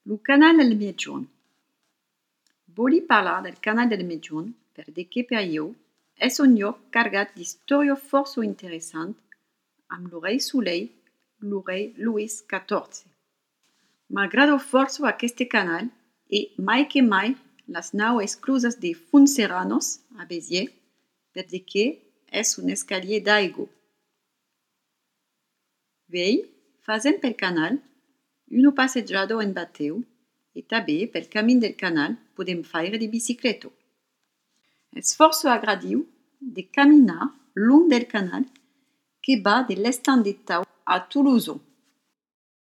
Il canal del Medgiun. Voglio parlare del canal del Medgiun perché per io è un lloc carregat di storie força interessanti amb il rei Soleil, il rei Louis XIV. M'agrada força aquest canal e mai che mai les naus esclusas de Fontserranos a Béziers perché è un escalier d'aigua. Vei, facem pel canal, una passeggiata en bateu e també pel camí del canal podem faire de bicicleta. È força agradiu de caminar long del canal que va de l'estany de Tau a Toulouse.